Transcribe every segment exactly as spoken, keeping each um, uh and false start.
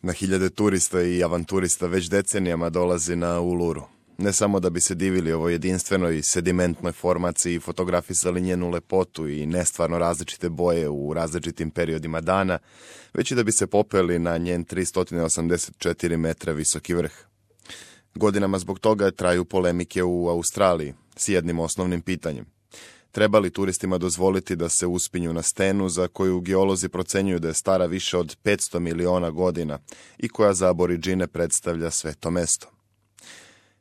Na hiljade turista i avanturista već decenijama dolazi na Uluru. Ne samo da bi se divili ovoj jedinstvenoj sedimentnoj formaciji i fotografisali njenu lepotu i nestvarno različite boje u različitim periodima dana, već i da bi se popeli na njen tristo osamdeset četiri metra visoki vrh. Godinama zbog toga traju polemike u Australiji s jednim osnovnim pitanjem. Treba li turistima dozvoliti da se uspinju na stenu za koju geolozi procenjuju da je stara više od petsto miliona godina i koja za Aboridžine predstavlja sveto mesto?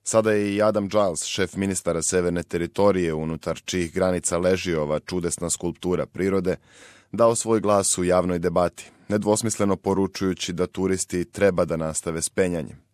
Sada je i Adam Giles, šef ministara Severne teritorije unutar čijih granica leži ova čudesna skulptura prirode, dao svoj glas u javnoj debati, nedvosmisleno poručujući da turisti treba da nastave s penjanjem.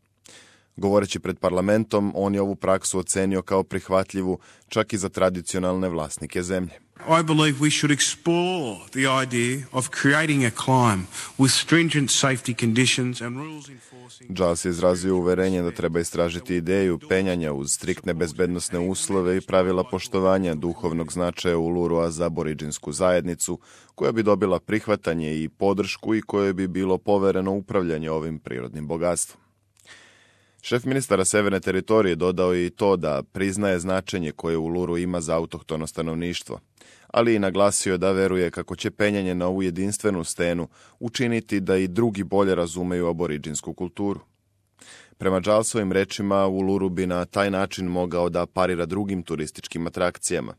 Govoreći pred parlamentom, on je ovu praksu ocenio kao prihvatljivu čak i za tradicionalne vlasnike zemlje. I believe we should explore the idea of creating a climb with stringent safety conditions and rules enforcing. Giles je izrazio uverenje da treba istražiti ideju penjanja uz striktne bezbednosne uslove i pravila poštovanja duhovnog značaja Ulurua za aboriđinsku zajednicu, koja bi dobila prihvatanje i podršku i kojoj bi bilo povereno upravljanje ovim prirodnim bogatstvom. Šef ministara Severne teritorije dodao je i to da priznaje značenje koje Uluru ima za autohtono stanovništvo, ali i naglasio da veruje kako će penjanje na ovu jedinstvenu stenu učiniti da i drugi bolje razumeju aboriđinsku kulturu. Prema Gilesovim rečima, Uluru bi na taj način mogao da parira drugim turističkim atrakcijama,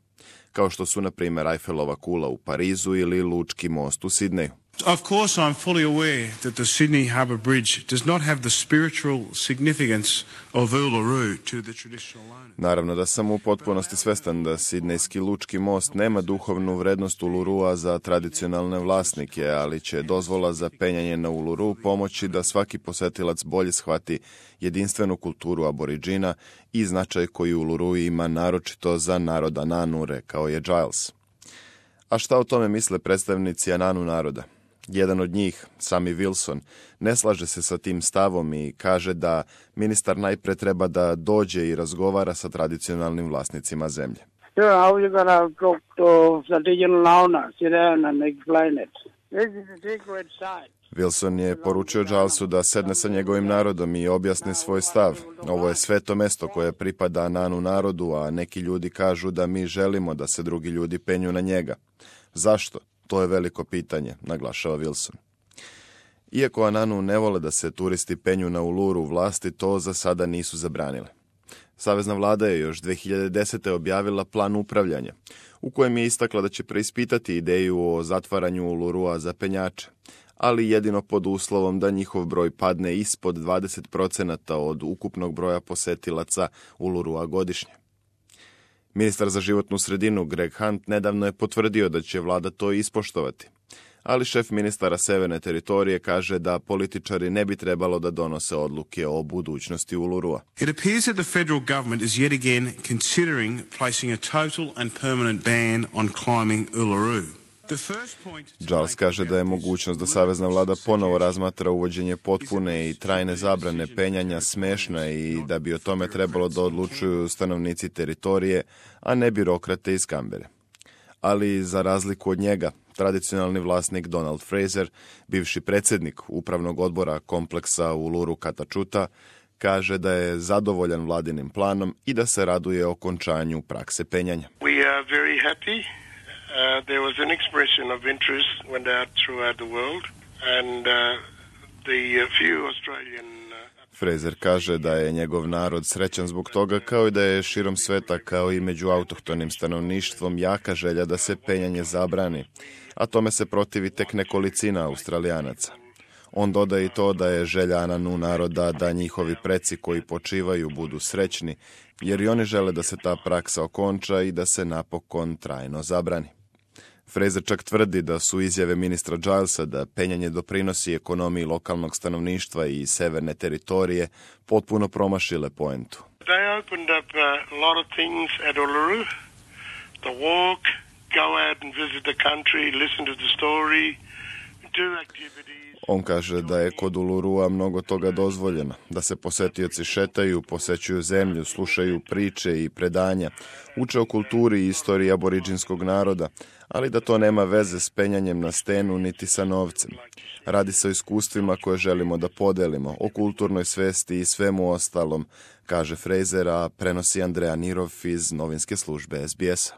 kao što su, na primjer, Eiffelova kula u Parizu ili Lučki most u Sidneju. Of course, I'm fully aware that the Sydney Harbour Bridge does not have the spiritual significance of Uluru to the traditional owners. Naravno da sam u potpunosti svestan da Sidnejski Lučki most nema duhovnu vrednost Ulurua za tradicionalne vlasnike, ali će dozvola za penjanje na Uluru pomoći da svaki posetilac bolje shvati jedinstvenu kulturu Aboridžina i značaj koji Uluru ima naročito za narod Ananu, rekao je Giles. A šta o tome misle predstavnici Ananu naroda? Jedan od njih, Sammy Wilson, ne slaže se sa tim stavom i kaže da ministar najpre treba da dođe i razgovara sa tradicionalnim vlasnicima zemlje. Wilson je poručio Gilesu da sedne sa njegovim narodom i objasni svoj stav. Ovo je sveto mesto koje pripada Ananu narodu, a neki ljudi kažu da mi želimo da se drugi ljudi penju na njega. Zašto? To je veliko pitanje, naglašava Wilson. Iako Ananu ne vole da se turisti penju na Uluru, vlasti to za sada nisu zabranile. Savezna vlada je još dve hiljade desete. objavila plan upravljanja, u kojem je istakla da će preispitati ideju o zatvaranju Ulurua za penjače, ali jedino pod uslovom da njihov broj padne ispod dvadeset procenata od ukupnog broja posetilaca Ulurua godišnje. Ministar za životnu sredinu Greg Hunt nedavno je potvrdio da će vlada to ispoštovati, ali šef ministara Severne teritorije kaže da političari ne bi trebalo da donose odluke o budućnosti Ulurua. It appears that the federal government is yet again considering placing a total and permanent ban on climbing Uluru. Giles kaže da je mogućnost da savezna vlada ponovo razmatra uvođenje potpune i trajne zabrane penjanja smešna i da bi o tome trebalo da odlučuju stanovnici teritorije, a ne birokrate iz Kambere. Ali za razliku od njega, tradicionalni vlasnik Donald Fraser, bivši predsjednik upravnog odbora kompleksa Uluru Katačuta, kaže da je zadovoljan vladinim planom i da se raduje okončanju prakse penjanja. We are very happy. Uh, there was an expression of interest went out throughout the world and uh, the uh, few Australian uh... Fraser kaže da je njegov narod srećan zbog toga, kao i da je širom sveta, kao i među autohtonim stanovništvom, jaka želja da se penjanje zabrani, a tome se protivi tek nekolicina Australijanaca. On dodaje i to da je želja Ananu naroda da njihovi preci koji počivaju budu srećni, jer i oni žele da se ta praksa okonča i da se napokon trajno zabrani. Fraser čak tvrdi da su izjave ministra Gilesa da penjanje doprinosi ekonomiji lokalnog stanovništva i severne teritorije potpuno promašile poentu. They opened up a lot of things at Uluru. The walk, go out and visit the country, listen to the story, do activities. On kaže da je kod Ulurua mnogo toga dozvoljeno, da se posetioci šetaju, posećuju zemlju, slušaju priče i predanja, uče o kulturi i istoriji aboriđinskog naroda, ali da to nema veze s penjanjem na stenu niti sa novcem. Radi se o iskustvima koje želimo da podelimo, o kulturnoj svesti i svemu ostalom, kaže Fraser, a prenosi Andreja Nirov iz novinske službe S B S-a.